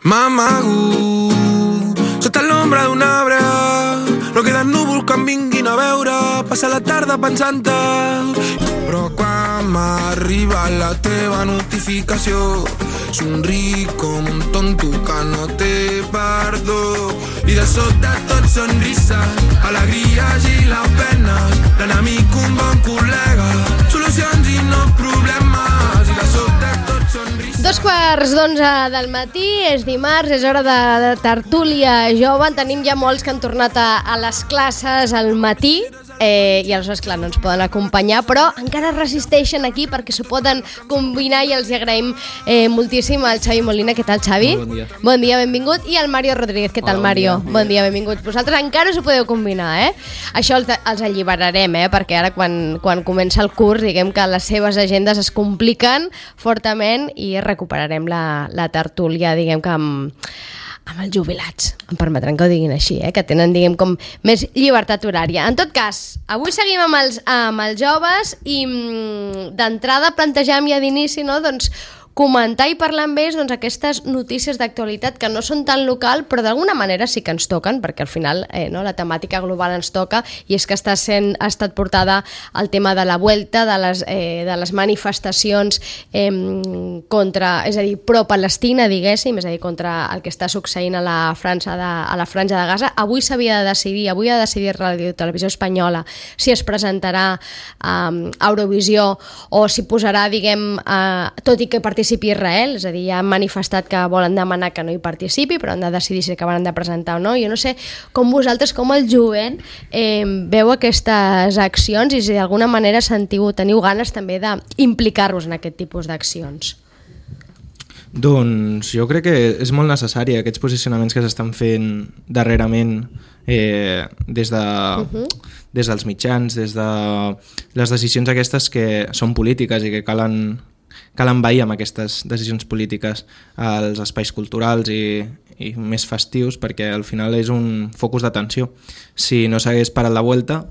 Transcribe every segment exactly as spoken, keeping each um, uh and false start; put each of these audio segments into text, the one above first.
M'amago sota l'ombra d'una brea, no queden núvols que em vinguin a veure, passa la tarda pensant-te. Però quan m'arriba la teva notificació, somric com un tonto que no té perdó, i de sota tot sonrisa, alegries i les penes, l'enemic un bon col·lega, solucions i no problemes, i de sota tot sonrisa. Dos quarts d'onze del matí, és dimarts, és hora de, de tertúlia jove. En tenim ja molts que han tornat a, a les classes al matí, eh, i aleshores, clar, no ens poden acompanyar, però encara resisteixen aquí perquè s'ho poden combinar, i els agraïm eh, moltíssim al Xavi Molina. Què tal, Xavi? Bon dia. Bon dia, benvingut. I al Mario Rodríguez. Què tal, Hola, Mario? bon dia. Bon dia, benvinguts. Vosaltres encara us ho podeu combinar, eh? Això els, els alliberarem, eh? Perquè ara, quan, quan comença el curs, diguem que les seves agendes es compliquen fortament i recuperarem la, la tertúlia, diguem que amb, amb els jubilats. Em permetran que ho diguin així, eh? Que tenen, diguem, com més llibertat horària. En tot cas, avui seguim amb els, amb els joves i mm, d'entrada plantejam ja d'inici, no?, doncs, comentar i parlar amb ells, doncs, aquestes notícies d'actualitat que no són tan local, però d'alguna manera sí que ens toquen, perquè al final eh, no, la temàtica global ens toca, i és que està sent, ha estat portada el tema de la Vuelta, de les, eh, de les manifestacions eh, contra, és a dir, pro-Palestina, diguéssim, és a dir, contra el que està succeint a la, França de, a la Franja de Gaza. Avui s'havia de decidir, avui ha de decidir Ràdio Televisió Espanyola si es presentarà eh, a Eurovisió o si posarà, diguem, eh, tot i que participi Israel, és a dir, ja han manifestat que volen demanar que no hi participi, però han de decidir si acabaran de presentar o no. Jo no sé com vosaltres, com el jovent, eh, veu aquestes accions i si d'alguna manera sentiu, teniu ganes també d'implicar-vos en aquest tipus d'accions. Doncs jo crec que és molt necessari aquests posicionaments que s'estan fent darrerament eh, des, de, uh-huh. des dels mitjans, des de les decisions aquestes que són polítiques i que calen cal envair amb aquestes decisions polítiques als espais culturals i, i més festius, perquè al final és un focus d'atenció. Si no s'hagués parat la Vuelta,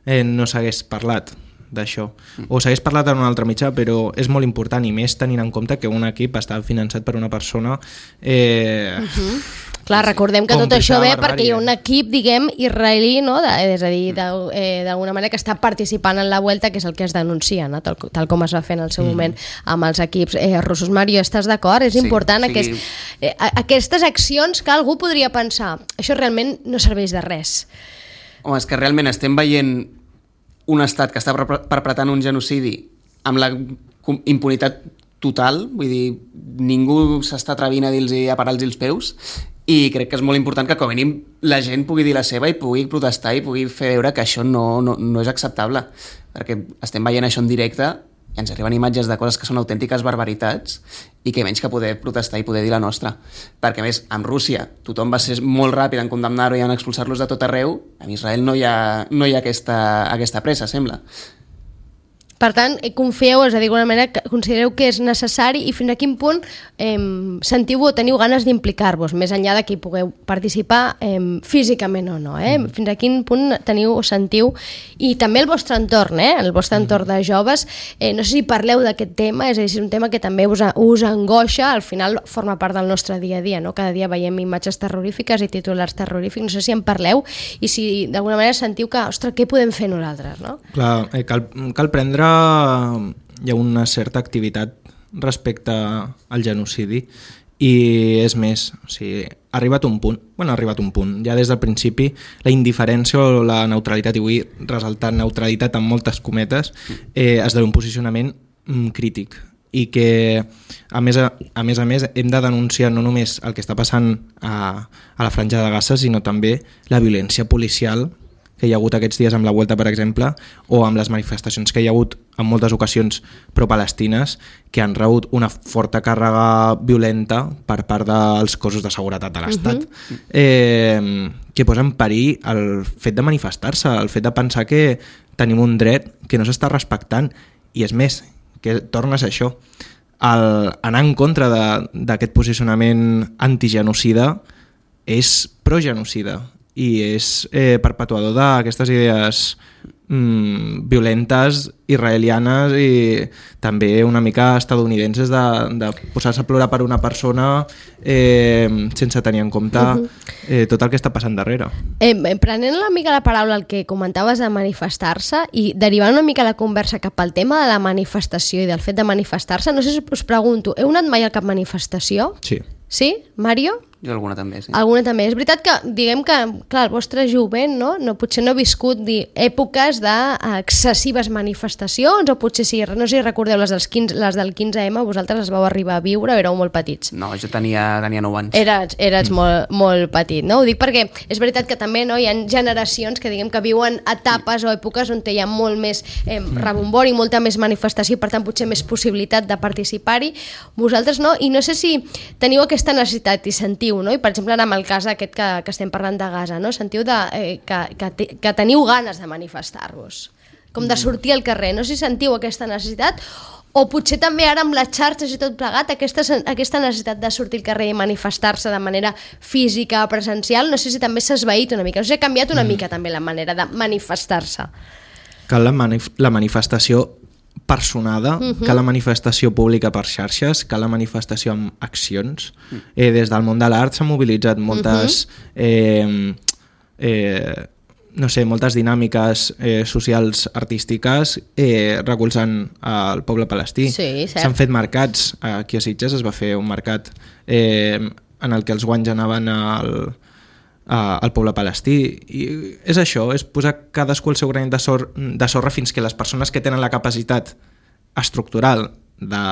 eh, no s'hagués parlat d'això. O s'hagués parlat en un altre mitjà, però és molt important, i més tenint en compte que un equip està finançat per una persona... Eh, uh-huh. Clar, recordem que tot això ve perquè hi ha un equip, diguem, israelí, no? de, és a dir, d'alguna manera que està participant en la Vuelta, que és el que es denuncia, no? tal, tal com es va fer en el seu mm. moment amb els equips eh, russos. Mario, estàs d'acord? És sí, important sí. aquest, eh, aquestes accions que algú podria pensar, això realment no serveix de res. Home, és que realment estem veient un estat que està perpetrant un genocidi amb la impunitat total, vull dir, ningú s'està atrevint a dir-los a parar-los els peus, i crec que és molt important que com a mínim la gent pugui dir la seva i pugui protestar i pugui fer veure que això no, no, no és acceptable, perquè estem veient això en directe i ens arriben imatges de coses que són autèntiques barbaritats i que menys que poder protestar i poder dir la nostra, perquè a més amb Rússia tothom va ser molt ràpid en condemnar-ho i en expulsar-los de tot arreu. En Israel no hi ha, no hi ha aquesta, aquesta pressa, sembla. Per tant, confieu, és a dir, d'alguna manera, que considereu que és necessari, i fins a quin punt eh, sentiu o teniu ganes d'implicar-vos, més enllà de que hi pugueu participar eh, físicament o no, eh? Mm. Fins a quin punt teniu o sentiu, i també el vostre entorn, eh? el vostre entorn de joves, eh, no sé si parleu d'aquest tema, és a dir, és un tema que també us, us angoixa, al final forma part del nostre dia a dia, no? Cada dia veiem imatges terrorífiques i titulars terrorífics, no sé si en parleu i si d'alguna manera sentiu que, ostres, què podem fer nosaltres, no? Clar, eh, cal, cal prendre hi ha una certa activitat respecte al genocidi, i és més, o sigui, ha arribat un punt, bueno, ha arribat un punt, ja des del principi la indiferència o la neutralitat, i vull ressaltar neutralitat amb moltes cometes, eh, esdevé un posicionament mm, crític, i que a més a, a més a més hem de denunciar no només el que està passant a, a la Franja de Gaza, sinó també la violència policial que hi ha hagut aquests dies amb la Vuelta, per exemple, o amb les manifestacions que hi ha hagut en moltes ocasions pro-palestines, que han rebut una forta càrrega violenta per part dels cossos de seguretat de l'Estat, uh-huh. eh, que posa en perill el fet de manifestar-se, el fet de pensar que tenim un dret que no s'està respectant, i és més, que torna a ser això. El anar en contra d'aquest posicionament antigenocida és progenocida, i és eh, perpetuador d'aquestes idees mm, violentes, israelianes i també una mica estadounidenses de, de posar-se a plorar per una persona eh, sense tenir en compte eh, tot el que està passant darrere. Eh, prenent una mica la paraula el que comentaves de manifestar-se i derivant una mica la conversa cap al tema de la manifestació i del fet de manifestar-se, no sé si us pregunto, heu anat mai a cap manifestació? Sí. Sí? Mario? Jo alguna també, sí. Alguna també. És veritat que, diguem que, clar, el vostre jovent, no? no potser no ha viscut di, èpoques d'excessives manifestacions, o potser sí, no sé si recordeu les, dels quinze, les del quinze eme, vosaltres les vau arribar a viure o éreu molt petits? No, jo tenia, tenia nou anys. Eres, eres mm. molt, molt petit, no? Ho dic perquè és veritat que també no, hi ha generacions que diguem que viuen etapes o èpoques on hi ha molt més eh, rebombori, molta més manifestació, per tant potser més possibilitat de participar-hi. Vosaltres no, i no sé si teniu aquesta necessitat i sentiu, no? I per exemple en el cas aquest que, que estem parlant de Gaza, no? Sentiu de, eh, que, que, que teniu ganes de manifestar-vos, com de sortir al carrer, no sé si sentiu aquesta necessitat o potser també ara amb les xarxes i tot plegat aquesta, aquesta necessitat de sortir al carrer i manifestar-se de manera física, presencial, no sé si també s'ha esvaït una mica, no sé si ha canviat una mm. mica també la manera de manifestar-se. Cal la, manif la manifestació personada, uh-huh. cal la manifestació pública per xarxes, cal la manifestació amb accions. Uh-huh. Eh, des del món de l'art s'han mobilitzat moltes uh-huh. eh, eh, no sé, moltes dinàmiques eh, socials artístiques eh, recolzant el poble palestí. Sí, s'han fet mercats, aquí a Sitges es va fer un mercat eh, en el que els guanys anaven al al poble palestí, i és això, és posar cadascú el seu granet de, sor de sorra fins que les persones que tenen la capacitat estructural de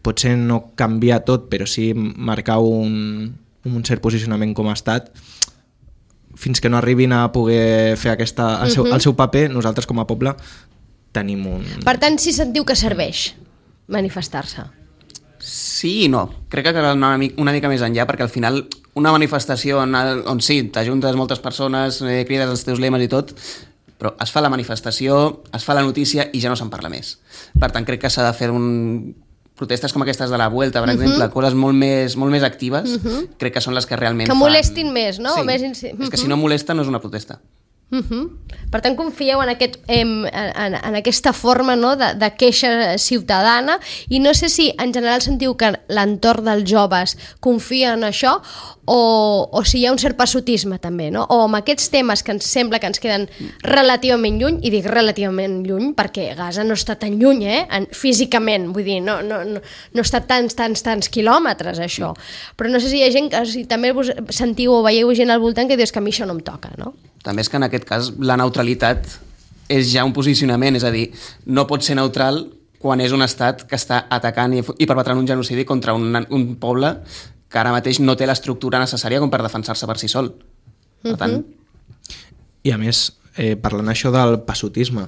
potser no canviar tot però sí marcar un, un cert posicionament com a estat, fins que no arribin a poder fer aquesta, el, seu, el seu paper, nosaltres com a poble tenim un... Per tant, si sentiu que serveix manifestar-se? Sí i no, crec que cal anar una mica, una mica més enllà, perquè al final una manifestació on, on sí, t'ajuntes moltes persones, eh, crides els teus lemes i tot, però es fa la manifestació, es fa la notícia i ja no se'n parla més. Per tant, crec que s'ha de fer un... protestes com aquestes de la Vuelta, per uh -huh. exemple, coses molt més, molt més actives, uh -huh. crec que són les que realment que fan... molestin més, no? Sí. Més inci... uh -huh. És que si no molesta no és una protesta. Uh -huh. Per tant, confieu en, aquest, en, en, en aquesta forma, no? de, de queixa ciutadana, i no sé si en general sentiu que l'entorn dels joves confia en això o, o si hi ha un cert passotisme també, no? O amb aquests temes que ens sembla que ens queden relativament lluny, i dic relativament lluny perquè Gaza no està tan lluny, eh? En, físicament, vull dir, no, no, no, no està tants, tants, tants quilòmetres això, però no sé si hi ha gent que si també vos sentiu o veieu gent al voltant que dius que a mi això no em toca, no? També és que en aquest cas la neutralitat és ja un posicionament, és a dir, no pot ser neutral quan és un estat que està atacant i, i perpetrant un genocidi contra un, un poble que ara mateix no té l'estructura necessària com per defensar-se per si sol. Per tant... Uh-huh. I a més, eh, parlant això del passotisme,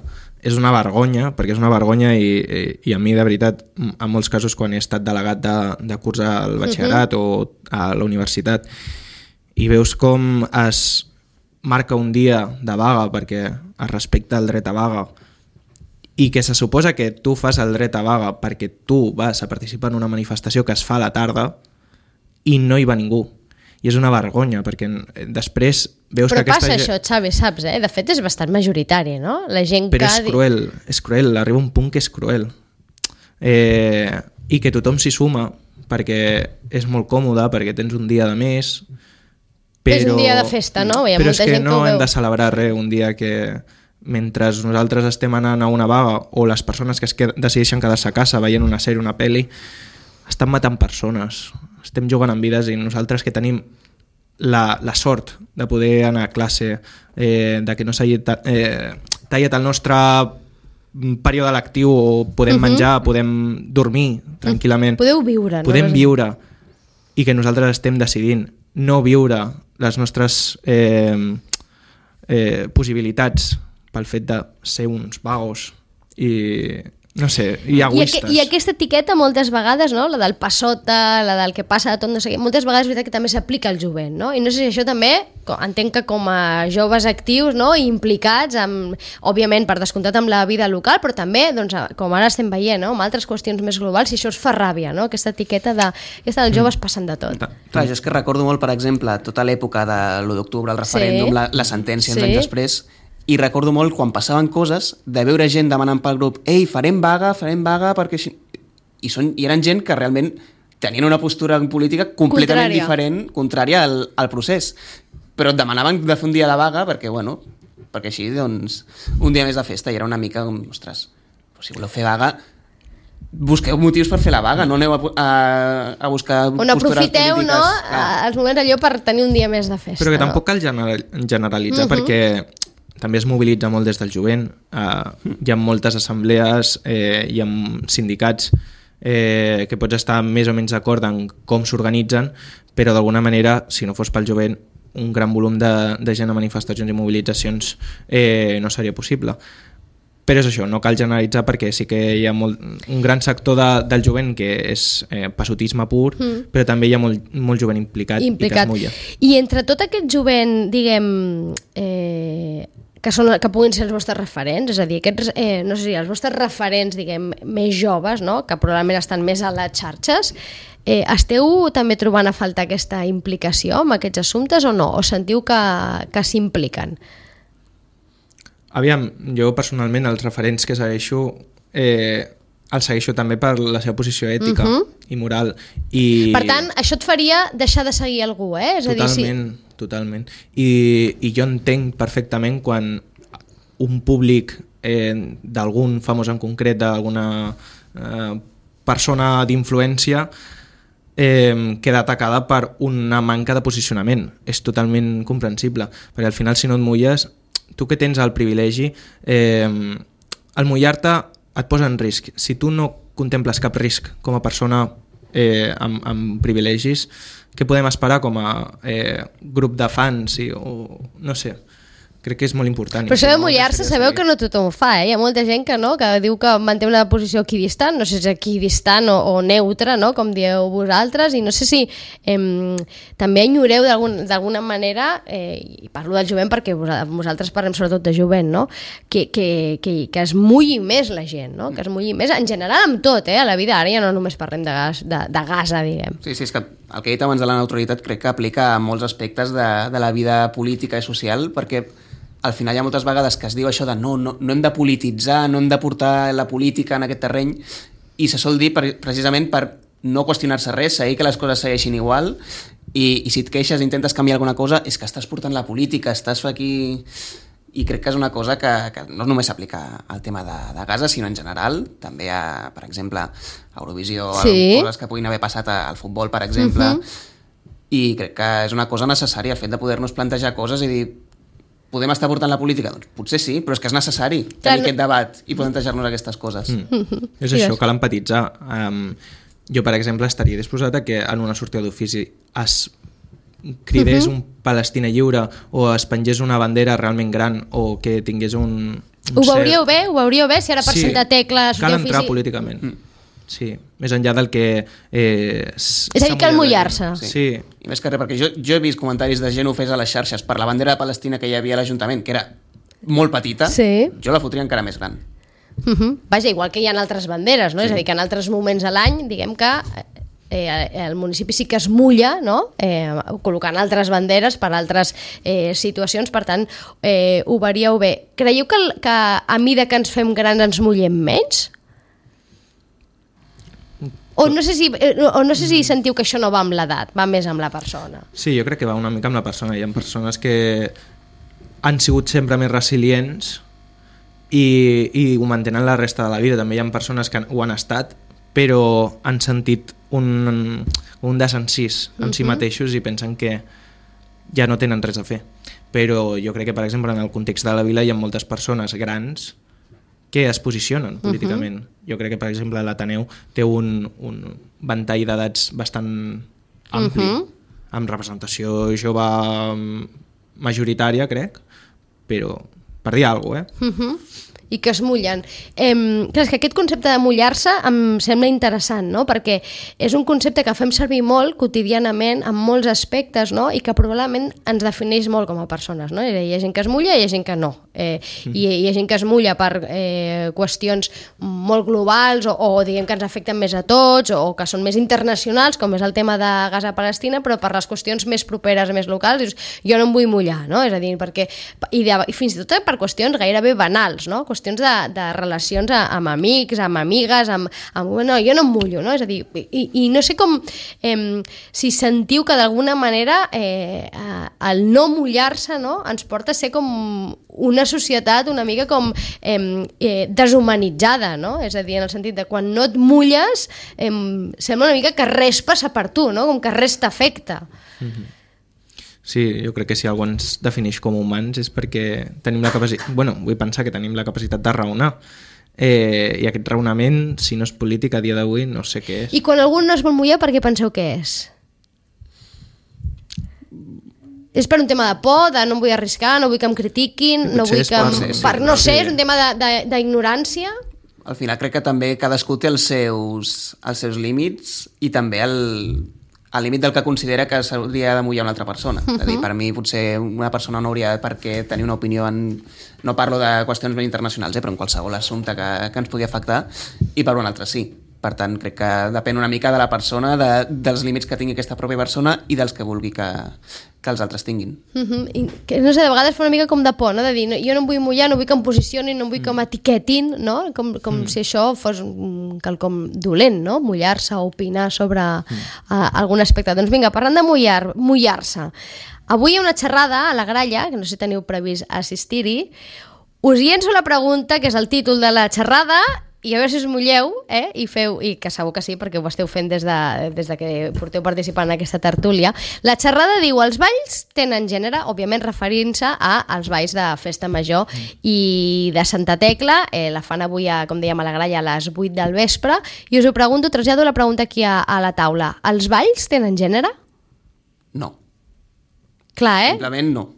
és una vergonya, perquè és una vergonya i, i a mi de veritat, en molts casos quan he estat delegat de, de curs al batxillerat uh-huh. o a la universitat i veus com es marca un dia de vaga perquè es respecta el dret a vaga i que se suposa que tu fas el dret a vaga perquè tu vas a participar en una manifestació que es fa a la tarda i no hi va ningú. I és una vergonya perquè després veus però que aquesta... Però passa això, Xavi, saps, eh? De fet és bastant majoritari, no? La gent però que... és cruel, és cruel, arriba un punt que és cruel. Eh, I que tothom s'hi suma perquè és molt còmode, perquè tens un dia de més... Però, és un dia de festa, no? Hi ha però molta és que gent no que hem de celebrar res un dia que mentre nosaltres estem anant a una vaga o les persones que es qued decideixen quedar-se a casa veient una sèrie, una pel·li, estan matant persones, estem jugant amb vides i nosaltres que tenim la, la sort de poder anar a classe, eh, de que no s'hagi eh, tallat el nostre període lectiu o podem uh -huh. menjar, podem dormir tranquil·lament. Podeu viure. Podem no? viure i que nosaltres estem decidint no viure les nostres eh, eh, possibilitats pel fet de ser uns vagos i no sé, i egoistes. I, aqu I aquesta etiqueta moltes vegades, no? La del passota, la del que passa de tot, no sé què, moltes vegades és veritat que també s'aplica al jovent, no? I no sé si això també, entenc que com a joves actius, no? I implicats, amb, òbviament per descomptat amb la vida local, però també, doncs, com ara estem veient, no? Amb altres qüestions més globals, si això us fa ràbia, no? Aquesta etiqueta de... Aquesta dels joves passen de tot. Clar, jo és que recordo molt, per exemple, tota l'època de l'u d'octubre, el referèndum, sí. la, la sentència uns sí. anys després, i recordo molt quan passaven coses de veure gent demanant pel grup ei, farem vaga, farem vaga perquè així... I, són, i eren gent que realment tenien una postura política completament contrària. diferent, contrària al, al procés, però et demanaven de fer un dia de vaga perquè, bueno, perquè així, doncs, un dia més de festa, i era una mica com, ostres, si voleu fer vaga, busqueu motius per fer la vaga, no aneu a, a, a buscar on postures aprofiteu, polítiques. No? Ah. Els moments allò per tenir un dia més de festa. Però que no? tampoc cal generalitzar, uh-huh. perquè també es mobilitza molt des del jovent. Uh, hi ha moltes assemblees, eh, hi ha sindicats eh, que pots estar més o menys d'acord en com s'organitzen, però d'alguna manera, si no fos pel jovent, un gran volum de, de gent a manifestacions i mobilitzacions eh, no seria possible. Però és això, no cal generalitzar perquè sí que hi ha molt, un gran sector de, del jovent que és eh, passotisme pur, mm. però també hi ha molt, molt jovent implicat, implicat i que es mulla. I entre tot aquest jovent, diguem, eh, que, són, que puguin ser els vostres referents, és a dir, aquests, eh, no sé si els vostres referents, diguem, més joves, no? Que probablement estan més a les xarxes, eh, esteu també trobant a faltar aquesta implicació amb aquests assumptes o no? O sentiu que, que s'impliquen? Aviam, jo personalment els referents que segueixo eh, els segueixo també per la seva posició ètica uh-huh. i moral. I... Per tant, això et faria deixar de seguir algú, eh? És totalment, a dir, sí. totalment. I, I jo entenc perfectament quan un públic eh, d'algun famós en concret, d'alguna eh, persona d'influència, eh, queda atacada per una manca de posicionament. És totalment comprensible, perquè al final si no et mulles, tu que tens el privilegi, eh, el mullar-te et posa en risc. Si tu no contemples cap risc com a persona eh, amb, amb privilegis, què podem esperar com a eh, grup de fans? I, o, no sé, crec que és molt important. Però això de mullar-se sabeu que no tothom ho fa, eh? Hi ha molta gent que no, que diu que manté una posició equidistant, no sé si és equidistant o, o neutra, no? Com dieu vosaltres, i no sé si eh, també enyoreu d'alguna manera, eh, i parlo del jovent perquè vosaltres parlem sobretot de jovent, no? Que, que, que, que es mulli més la gent, no? Que es mulli més, en general amb tot, eh? A la vida ara ja no només parlem de gas, de, de gasa, diguem. Sí, sí, és que el que he dit abans de la neutralitat crec que aplica a molts aspectes de, de la vida política i social, perquè al final hi ha moltes vegades que es diu això de no, no, no hem de polititzar, no hem de portar la política en aquest terreny, i se sol dir per, precisament per no qüestionar-se res, seguir que les coses segueixin igual, i, i si et queixes i intentes canviar alguna cosa és que estàs portant la política, estàs aquí... I crec que és una cosa que, que no només s'aplica al tema de, de Gaza, sinó en general, també a, per exemple, a Eurovisió, sí. Coses que puguin haver passat al futbol, per exemple, uh-huh. I crec que és una cosa necessària, el fet de poder-nos plantejar coses i dir podem estar portant la política? Doncs potser sí, però és que és necessari tenir Clar, aquest debat i plantejar-nos aquestes coses. Mm. Mm-hmm. És sí, això, cal empatitzar. Um, jo, per exemple, estaria disposat a que en una sortida d'ofici es cridés uh-huh. un Palestina lliure o es pengés una bandera realment gran o que tingués un... un ho veuríeu cert... bé? Ho veuríeu bé? Si ara per sí, Santa Tecla... cal entrar ofici... políticament. Mm. Sí, més enllà del que... Eh, és a dir, cal mullar-se. Sí. sí. I més que res, perquè jo, jo he vist comentaris de gent ofès a les xarxes per la bandera de Palestina que hi havia a l'Ajuntament, que era molt petita, sí. Jo la fotria encara més gran. Uh-huh. Vaja, igual que hi ha altres banderes, no? Sí. És a dir, que en altres moments a l'any, diguem que eh, el municipi sí que es mulla, no? Eh, col·locant altres banderes per altres eh, situacions, per tant, eh, ho veieu bé. Creieu que, que a mida que ens fem grans ens mullem menys? O no sé si, o no sé si sentiu que això no va amb l'edat, va més amb la persona. Sí, jo crec que va una mica amb la persona. Hi ha persones que han sigut sempre més resilients i, i ho mantenen la resta de la vida. També hi ha persones que ho han estat, però han sentit un, un desencís en uh-huh. si mateixos i pensen que ja no tenen res a fer. Però jo crec que, per exemple, en el context de la vila hi ha moltes persones grans que es posicionen políticament. Uh-huh. Jo crec que, per exemple, l'Ateneu té un, un ventall d'edats bastant ampli, uh-huh. amb representació jove majoritària, crec, però per dir alguna cosa, eh? Uh-huh. i que es mullen. Eh, clar, és que aquest concepte de mullar-se em sembla interessant, no? Perquè és un concepte que fem servir molt quotidianament en molts aspectes, no? I que probablement ens defineix molt com a persones, no? Hi ha gent que es mulla i hi ha gent que no. Eh, mm. i hi ha gent que es mulla per eh, qüestions molt globals o, o diguem que ens afecten més a tots o que són més internacionals, com és el tema de Gaza-Palestina, però per les qüestions més properes, més locals, dius, jo no em vull mullar, no? És a dir, perquè... I, de, i fins i tot per qüestions gairebé banals, no? Qüestions de, de relacions amb amics, amb amigues, amb, amb... No, jo no em mullo, no? És a dir, i, i no sé com... Eh, si sentiu que d'alguna manera eh, el no mullar-se, no? Ens porta a ser com una societat una mica com eh, eh, deshumanitzada, no? És a dir, en el sentit de quan no et mulles eh, sembla una mica que res passa per tu, no? Com que res t'afecta. Mm-hmm. Sí, jo crec que si algú ens defineix com humans és perquè tenim la capacitat... Bueno, vull pensar que tenim la capacitat de raonar. Eh, I aquest raonament, si no és polític a dia d'avui, no sé què és. I quan algú no es vol mullar, per què penseu que és? És per un tema de por, de no em vull arriscar, no vull que em critiquin, no vull que... Em... Sí, sí, per, no sé, sí. És un tema d'ignorància? Al final crec que també cadascú té els seus, els seus límits i també el... al límit del que considera que s'hauria de mullar una altra persona. Uh-huh. És a dir, per mi potser una persona no hauria per què tenir una opinió en... No parlo de qüestions ben internacionals, eh, però en qualsevol assumpte que, que ens pugui afectar, i per un altre sí. Per tant, crec que depèn una mica de la persona, de, dels límits que tingui aquesta pròpia persona i dels que vulgui que, que els altres tinguin. Uh-huh. I que, no sé, de vegades fa una mica com de por, no? De dir, no, jo no em vull mullar, no vull que em posicionin, no vull que m'etiquetin, no? Com, com mm. si això fos un quelcom dolent, no? Mullar-se o opinar sobre mm. uh, algun aspecte. Doncs vinga, parlant de mullar, mullar-se. Avui hi ha una xerrada a la Gralla, que no sé si teniu previst assistir-hi. Us llenço la pregunta, que és el títol de la xerrada, i a veure si us mulleu, eh? I feu, i que segur que sí, perquè ho esteu fent des de, des de que porteu participant en aquesta tertúlia. La xerrada diu, els balls tenen gènere, òbviament referint-se als balls de festa major mm. i de Santa Tecla, eh, la fan avui, a, com dèiem, a la Gralla a les vuit del vespre, i us ho pregunto, trasllado la pregunta aquí a, a la taula. Els balls tenen gènere? No. Clar, eh? Simplement no.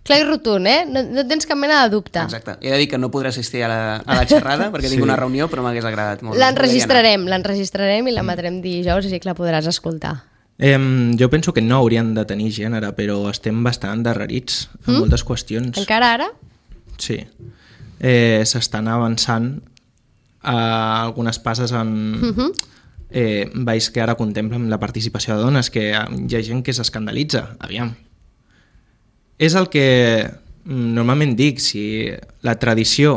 Clar i rotund, eh? No, no tens cap mena de dubte. Exacte. He de dir que no podré assistir a la, a la xerrada perquè sí. tinc una reunió, però m'hagués agradat molt. L'enregistrarem, l'enregistrarem i l'emetrem dijous, així que la podràs escoltar. Eh, jo penso que no haurien de tenir gènere, però estem bastant endarrerits en mm? moltes qüestions. Encara ara? Sí. Eh, s'estan avançant a algunes passes en... Mm-hmm. Eh, veus que ara contemplen la participació de dones, que hi ha gent que s'escandalitza. Aviam. És el que normalment dic, si la tradició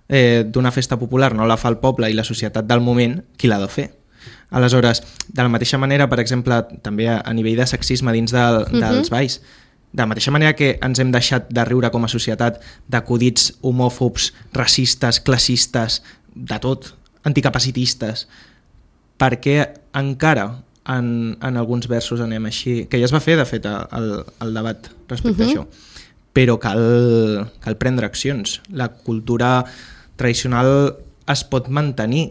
eh, d'una festa popular no la fa el poble i la societat del moment, qui l'ha de fer? Aleshores, de la mateixa manera, per exemple, també a, a nivell de sexisme dins del, uh-huh. dels balls, de la mateixa manera que ens hem deixat de riure com a societat d'acudits homòfobs, racistes, classistes, de tot, anticapacitistes, perquè encara En, en alguns versos anem així, que ja es va fer de fet el, el debat respecte uh-huh. a això, però cal, cal prendre accions. La cultura tradicional es pot mantenir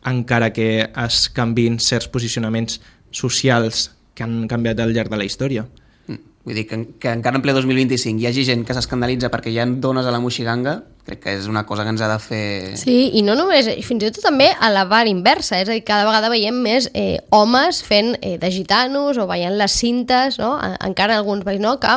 encara que es canvin certs posicionaments socials que han canviat al llarg de la història. Vull dir que, que encara en ple dos mil vint-i-cinc hi hagi gent que s'escandalitza perquè hi ha dones a la moixiganga, crec que és una cosa que ens ha de fer... Sí, i no només, fins i tot també a la part inversa, és a dir, cada vegada veiem més eh, homes fent eh, de gitanos o veient les cintes, no? Encara alguns veus, no? Que,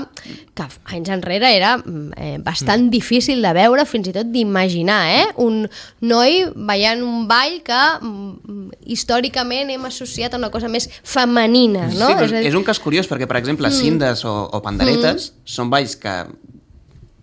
que anys enrere era eh, bastant mm. difícil de veure, fins i tot d'imaginar, eh? Un noi veient un ball que mm, històricament hem associat a una cosa més femenina, no? Sí, és, a dir... és un cas curiós, perquè, per exemple, mm. cindes o, o panderetes mm. són balls que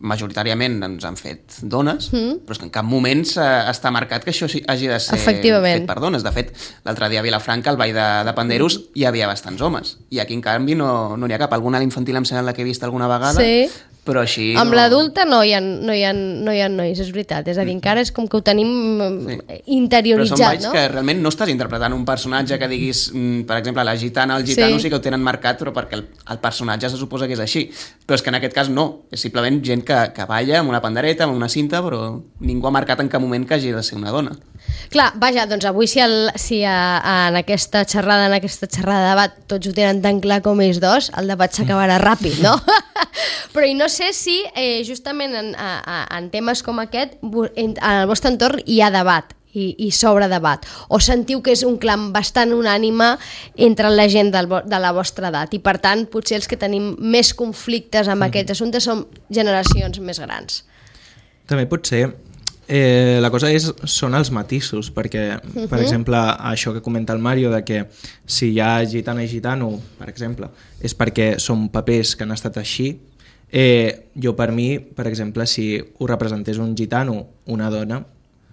majoritàriament ens han fet dones, mm. però és que en cap moment està marcat que això hagi de ser fet per dones. De fet, l'altre dia a Vilafranca, al ball de, de panderos, mm. hi havia bastants homes. I aquí, en canvi, no n'hi no ha cap. Alguna a l'infantil em sembla que he vist alguna vegada, sí. però així... Amb no... l'adulta no hi ha, no, hi ha, no hi ha nois, és veritat. És a dir, encara és com que ho tenim sí. interioritzat, però són balls no? que realment no estàs interpretant un personatge que diguis, per exemple, la gitana, el gitano sí, sí que ho tenen marcat, però perquè el, el personatge se suposa que és així. Però és que en aquest cas no. És simplement gent que, que balla amb una pandereta, amb una cinta, però ningú ha marcat en cap moment que hagi de ser una dona. Clar, vaja, doncs avui si, el, si a, a, en aquesta xerrada, en aquesta xerrada de debat tots ho tenen tan clar com ells dos, el debat s'acabarà ràpid, no? Però i no sé si eh, justament en, a, a, en temes com aquest en, en el vostre entorn hi ha debat i, i sobre debat, o sentiu que és un clam bastant unànime entre la gent del, de la vostra edat i per tant potser els que tenim més conflictes amb mm. aquests assumptes són generacions més grans. També pot ser. Eh, la cosa és, són els matisos, perquè, uh-huh. per exemple, això que comenta el Mario, de que si hi ha gitana i gitano, per exemple, és perquè són papers que han estat així. Eh, jo, per mi, per exemple, si ho representés un gitano, una dona...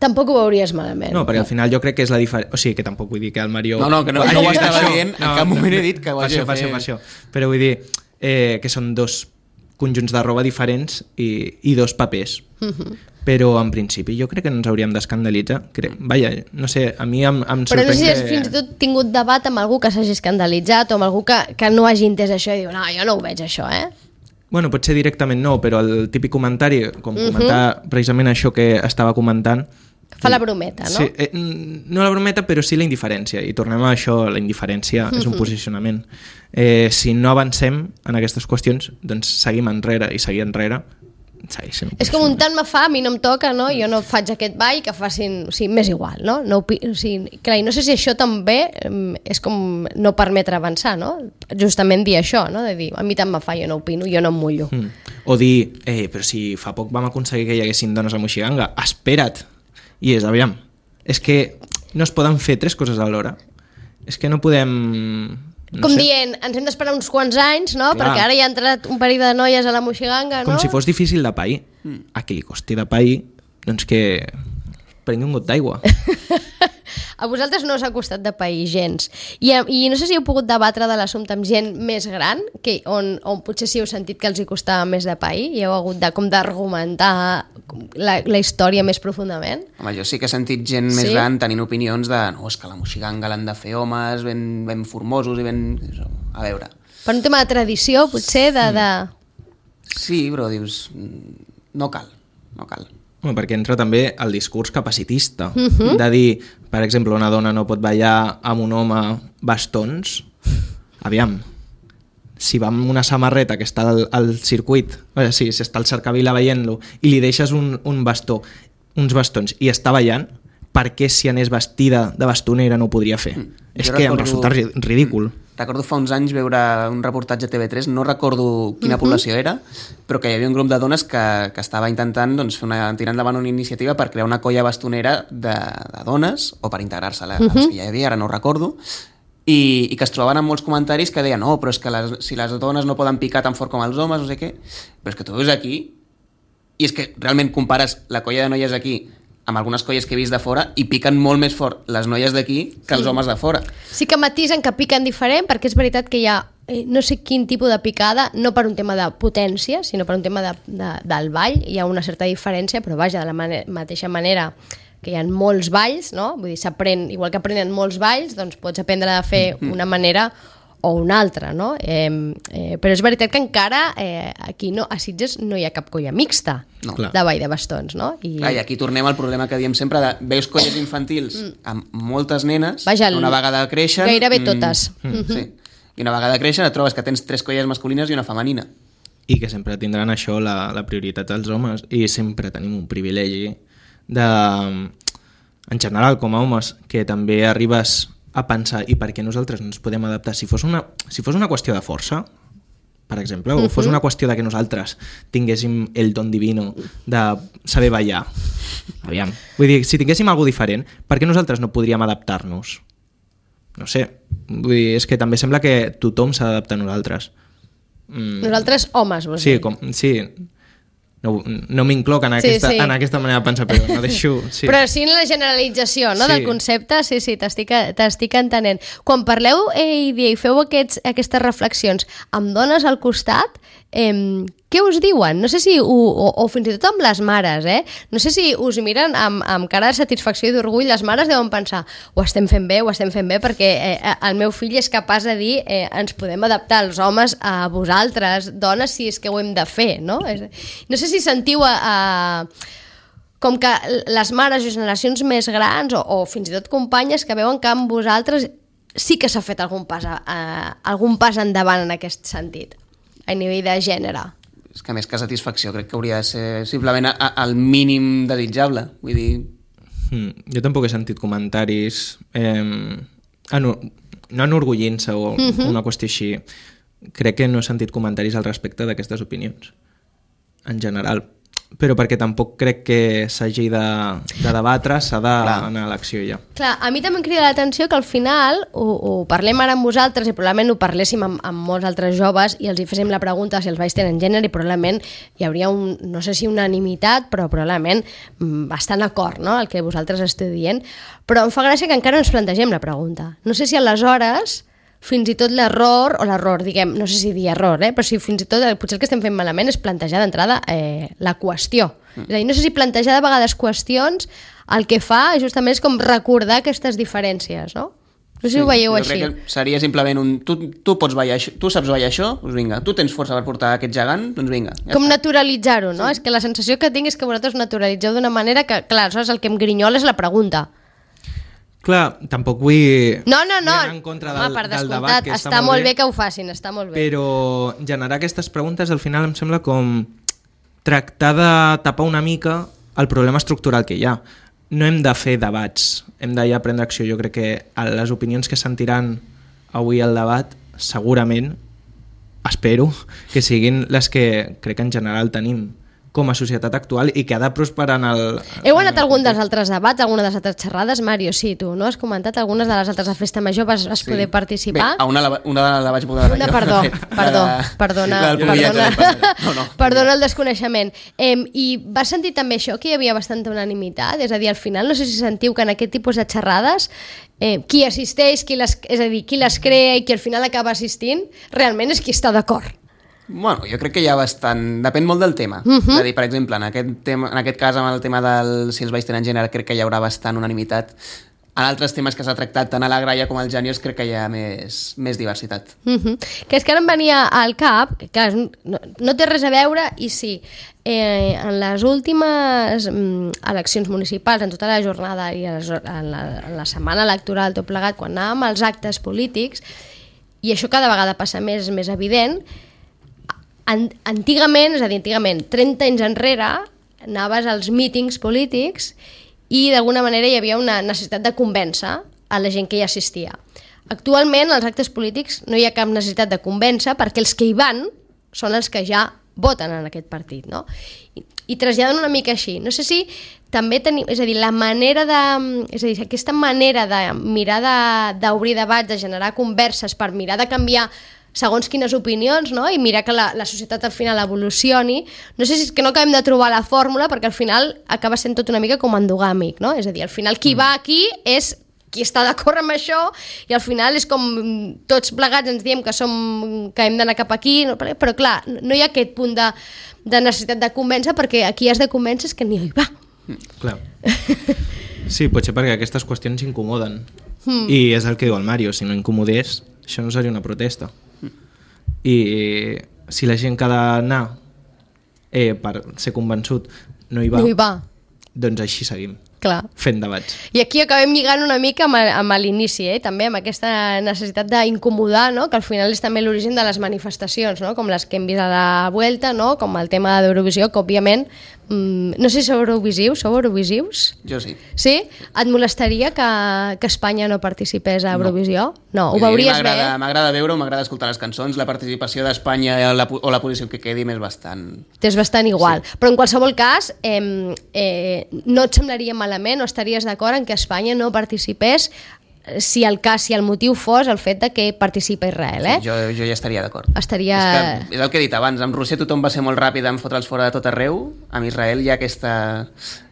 Tampoc ho veuries malament. No, perquè al final jo crec que és la diferència... O sigui, que tampoc vull dir que el Mario... No, no, que no, no ho estava dient, en cap moment he dit que ho hagi de fer. Per això, Però vull dir eh, que són dos conjunts de roba diferents i, i dos papers. Uh-huh. Però en principi jo crec que no ens hauríem d'escandalitzar. Vaja, no sé, a mi em, em sorprèn que... Però no sé si has fins i tot tingut debat amb algú que s'hagi escandalitzat o amb algú que, que no hagi entès això i diu, no, jo no ho veig això, eh? Bueno, potser directament no, però el típic comentari, com uh-huh. comentar precisament això que estava comentant... Fa la brometa, no? Sí, eh, no la brometa, però sí la indiferència. I tornem a això, la indiferència uh-huh. és un posicionament. Eh, si no avancem en aquestes qüestions, doncs seguim enrere i seguir enrere segueixen. És com un tant me fa, a mi no em toca, no? Jo no faig aquest ball, que facin... O sigui, m'és igual, no? no o sigui, clar, i no sé si això també és com no permetre avançar, no? Justament dir això, no? De dir, a mi tant me fa, jo no opino, jo no em mullo. Mm. O dir, eh, però si fa poc vam aconseguir que hi haguessin dones a Moixiganga, espera't! I és, aviam, és que no es poden fer tres coses alhora. És que no podem... No com sé. Dient, ens hem d'esperar uns quants anys, no? Clar. Perquè ara hi ha entrat un parell de noies a la Moixiganga, no? Com si fos difícil de pair. Mm. A qui li costi de pair, doncs que prengui un got d'aigua. A vosaltres no us ha costat de pair gens. I, I no sé si heu pogut debatre de l'assumpte amb gent més gran, que, on, on potser si heu sentit que els hi costava més de pair i heu hagut de, com d'argumentar la, la història més profundament. Home, jo sí que he sentit gent sí? més gran tenint opinions de no, és que la Moixiganga l'han de fer homes ben, ben formosos i ben... A veure... Per un tema de tradició, potser, de... de... Sí, però dius... No cal, no cal. Bueno, perquè entra també el discurs capacitista, uh-huh. de dir, per exemple, una dona no pot ballar amb un home bastons. Aviam, si va amb una samarreta que està al, al circuit, o sigui, si està al cercavila veient-lo, i li deixes un, un bastó, uns bastons, i està ballant, per què si anés vestida de bastonera no ho podria fer? Mm. És jo que recordo... em resulta ridícul. Mm. Recordo fa uns anys veure un reportatge a T V tres, no recordo quina uh-huh. població era, però que hi havia un grup de dones que, que estava intentant doncs, fer una, tirar endavant una iniciativa per crear una colla bastonera de, de dones, o per integrar-se a les uh-huh. que ja hi havia, ara no ho recordo, i, i que es trobaven amb molts comentaris que deien no, però és que les, si les dones no poden picar tan fort com els homes, no sé què, però és que tu veus aquí, i és que realment compares la colla de noies aquí amb algunes colles que he vist de fora i piquen molt més fort les noies d'aquí que els homes de fora. Sí que matisen que piquen diferent, perquè és veritat que hi ha eh, no sé quin tipus de picada, no per un tema de potència, sinó per un tema de, de, del ball, hi ha una certa diferència, però vaja, de la mane- mateixa manera que hi ha molts balls, no? Vull dir, s'aprèn, igual que aprenen molts balls, doncs pots aprendre a fer mm-hmm. una manera o una altra, no? Eh, eh, però és veritat que encara eh, aquí no, a Sitges no hi ha cap colla mixta no. de ball de bastons, no? I... Clar, i aquí tornem al problema que diem sempre de veus colles infantils amb moltes nenes, Vaja, una vegada creixen... Gairebé totes. Mm, mm, sí. I una vegada creixen et trobes que tens tres colles masculines i una femenina. I que sempre tindran això la, la prioritat dels homes, i sempre tenim un privilegi de, en general com a homes, que també arribes a pensar i per què nosaltres no ens podem adaptar. Si fos una, si fos una qüestió de força, per exemple, o fos una qüestió de que nosaltres tinguéssim el don divino de saber ballar, aviam, vull dir, si tinguéssim alguna diferent, per què nosaltres no podríem adaptar-nos? No sé, vull dir, és que també sembla que tothom s'ha d'adaptar a nosaltres. Mm. Nosaltres homes, vols sí, dir? Com, sí, no, no m'incloc en, aquesta, sí, sí. en aquesta manera de pensar, però no deixo... Sí. Però sí en la generalització, no, sí. del concepte, sí, sí, t'estic, t'estic entenent. Quan parleu eh, i feu aquests, aquestes reflexions amb dones al costat, eh, què us diuen? No sé si, ho, o, o fins i tot amb les mares, eh? No sé si us miren amb, amb cara de satisfacció i d'orgull, les mares deuen pensar ho estem fent bé, ho estem fent bé, perquè eh, el meu fill és capaç de dir eh, ens podem adaptar els homes a vosaltres, dones, si és que ho hem de fer, no? No sé si sentiu a... a com que les mares i generacions més grans o, o fins i tot companyes que veuen que amb vosaltres sí que s'ha fet algun pas, a, a, algun pas endavant en aquest sentit, a nivell de gènere. és que més que satisfacció crec que hauria de ser simplement a, a, el mínim desitjable. Vull dir... Mm, jo tampoc he sentit comentaris eh, enu no enorgullint-se o uh-huh. una qüestió així. Crec que no he sentit comentaris al respecte d'aquestes opinions, en general. Però perquè tampoc crec que s'hagi de, de debatre, s'ha d'anar a l'acció ja. Clar, a mi també em crida l'atenció que al final ho, ho parlem ara amb vosaltres i probablement ho parléssim amb, amb molts altres joves i els hi féssim la pregunta si els vais tenen gènere i probablement hi hauria un, no sé si unanimitat, però probablement bastant acord, no?, el que vosaltres esteu dient. Però em fa gràcia que encara no ens plantegem la pregunta. No sé si aleshores fins i tot l'error, o l'error, diguem, no sé si dir error, eh? Però si fins i tot potser el que estem fent malament és plantejar d'entrada eh, la qüestió. Mm. És a dir, no sé si plantejar de vegades qüestions el que fa justament és com recordar aquestes diferències, no? No sé si sí, ho veieu així. Jo crec que seria simplement un... Tu, tu pots ballar això, tu saps ballar això, doncs vinga. Tu tens força per portar aquest gegant, doncs vinga. Ja com naturalitzar-ho, no? Sí. És que la sensació que tinc és que vosaltres naturalitzeu d'una manera que, clar, aleshores el que em grinyola és la pregunta. Clar, tampoc vull no, no, no. anar en contra del, Home, del debat, que està, està molt bé, bé que ho facin, està molt bé. Però generar aquestes preguntes al final em sembla com tractar de tapar una mica el problema estructural que hi ha. No hem de fer debats, hem de ja prendre acció. Jo crec que les opinions que sentiran avui al debat segurament, espero, que siguin les que crec que en general tenim com a societat actual i que ha de prosperar en el... Heu anat a algun dels altres debats, alguna de les altres xerrades, Mario? Sí, tu, no? Has comentat algunes de les altres de Festa Major, vas, vas sí. poder participar? Bé, a una, la, una la vaig poder... Una, perdó, perdó, perdona, perdona, no, no. perdona el desconeixement. Eh, I vas sentir també això, que hi havia bastanta unanimitat? És a dir, al final, no sé si sentiu que en aquest tipus de xerrades eh, qui assisteix, qui les, és a dir, qui les crea i qui al final acaba assistint, realment és qui està d'acord. Bueno, jo crec que hi ha bastant... Depèn molt del tema. Uh-huh. És a dir, per exemple, en aquest, tema, en aquest cas, amb el tema del si els balls tenen gènere, crec que hi haurà bastant unanimitat. En altres temes que s'ha tractat tant a la Graia com al Genios, crec que hi ha més, més diversitat. Uh-huh. Que és que ara em venia al cap, que clar, no, no té res a veure, i sí, eh, en les últimes mm, eleccions municipals, en tota la jornada i en la, en la setmana electoral, tot plegat, quan anàvem als actes polítics, i això cada vegada passa més, més evident, antigament, és a dir, antigament, trenta anys enrere, anaves als mítings polítics i d'alguna manera hi havia una necessitat de convèncer a la gent que hi assistia. Actualment, als actes polítics no hi ha cap necessitat de convèncer perquè els que hi van són els que ja voten en aquest partit, no? I, i traslladen una mica així. No sé si també tenim... És a dir, la manera de... És a dir, aquesta manera de mirar d'obrir de, debats, de generar converses per mirar de canviar segons quines opinions, no? I mirar que la, la societat al final evolucioni. No sé si és que no acabem de trobar la fórmula perquè al final acaba sent tot una mica com endogàmic, no? És a dir, al final qui va aquí és qui està d'acord amb això i al final és com tots plegats ens diem que, som, que hem d'anar cap aquí, però clar, no hi ha aquest punt de, de necessitat de convèncer perquè aquí has de convèncer que ni hi va. Clar. Sí, potser perquè aquestes qüestions incomoden. Mm. I és el que diu el Mario, si no incomodés, això no seria una protesta. I si la gent que ha d'anar eh, per ser convençut no hi va, no hi va, doncs així seguim. Clar. Fent debats. I aquí acabem lligant una mica amb, amb l'inici, eh? També amb aquesta necessitat d'incomodar, no? Que al final és també l'origen de les manifestacions, no? Com les que hem vist a la Vuelta, no? Com el tema d'Eurovisió, que òbviament mmm, no sé si sou eurovisius, sou eurovisius? Jo sí. Sí? Et molestaria que, que Espanya no participés a Eurovisió? No, no, ho veuries bé? M'agrada veure-ho, m'agrada escoltar les cançons, la participació d'Espanya o la posició que quedi m'és bastant... T'és bastant igual, sí. Però en qualsevol cas eh, eh, no et semblaria mal o estaries d'acord en que Espanya no participés si el cas, si el motiu fos el fet de que participa Israel, eh? Sí, jo, jo ja estaria d'acord. Estaria... És, que, és el que he dit abans, amb Rússia tothom va ser molt ràpid en fotre'ls fora de tot arreu, amb Israel hi ha aquesta,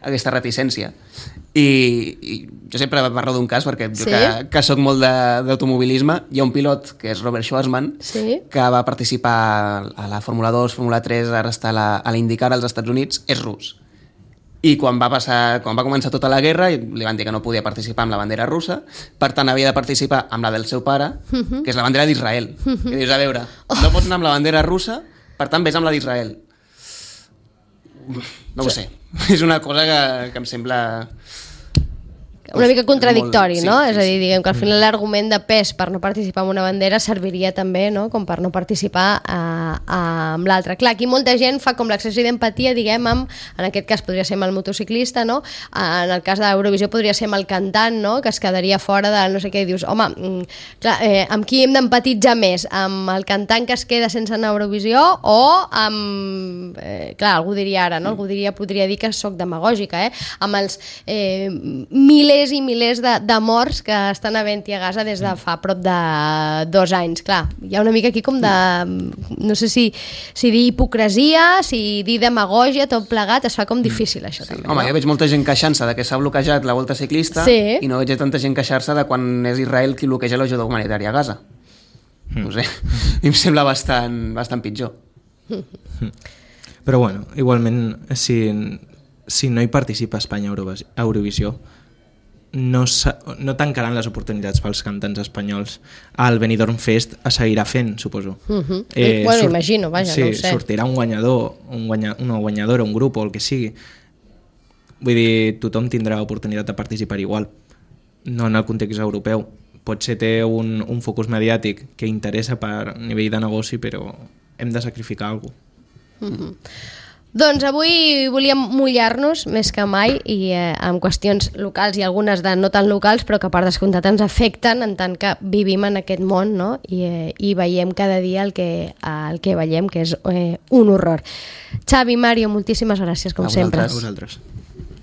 aquesta reticència. I, i jo sempre parlo d'un cas perquè jo sí? que, que soc molt d'automobilisme, hi ha un pilot que és Robert Schwarzman, sí? que va participar a la Fórmula dos, Fórmula tres, ara està a la, a l'IndyCar als Estats Units, és rus. I quan va, passar, quan va començar tota la guerra li van dir que no podia participar amb la bandera russa, per tant havia de participar amb la del seu pare, uh-huh. que és la bandera d'Israel. Uh-huh. I dius, a veure, no pots anar amb la bandera russa, per tant vés amb la d'Israel. No ho sé, és una cosa que, que em sembla... una mica contradictori, molt, sí, no? sí, És a dir, sí. diguem que al final l'argument de pes per no participar en una bandera serviria també, no?, com per no participar a, a, amb l'altra. Clar, aquí molta gent fa com l'exercici d'empatia, diguem, amb, en aquest cas podria ser amb el motociclista, no? En el cas d'Eurovisió podria ser amb el cantant, no?, que es quedaria fora de no sé què, i dius, home, clar, eh, amb qui hem d'empatitzar més? Amb el cantant que es queda sense anar a Eurovisió o amb... Eh, clar, algú diria ara, no? Algú diria, podria dir que sóc demagògica, eh? Amb els eh, milers i milers de, de morts que estan havent-hi a Gaza des de fa prop de dos anys. Clar, hi ha una mica aquí com de... no sé si, si dir hipocresia, si dir demagògia, tot plegat, es fa com difícil això Sí. també. Home, no? jo veig molta gent queixant-se de que s'ha bloquejat la volta ciclista Sí. i no veig tanta gent queixar-se de quan és Israel qui bloqueja l'ajuda humanitària a Gaza. Mm. No sé, a mi em sembla bastant, bastant pitjor. Però bueno, igualment, si, si no hi participa Espanya a Eurovis- a Eurovisió, no, no tancaran les oportunitats pels cantants espanyols. El Benidorm Fest es seguirà fent, suposo. Uh -huh. eh, bueno, surt... imagino, vaja, sí, no ho sé. sortirà un guanyador, un guanya, una guanyadora, un grup o el que sigui. Vull dir, tothom tindrà oportunitat de participar igual, no en el context europeu. Potser té un, un focus mediàtic que interessa per nivell de negoci, però hem de sacrificar alguna cosa. Uh -huh. Doncs avui volíem mullar-nos més que mai i eh, amb qüestions locals i algunes de no tan locals, però que per descomptat ens afecten en tant que vivim en aquest món, no? I, eh, i veiem cada dia el que, el que veiem, que és eh, un horror. Xavi, Mario, moltíssimes gràcies, com A sempre. vosaltres. A vosaltres.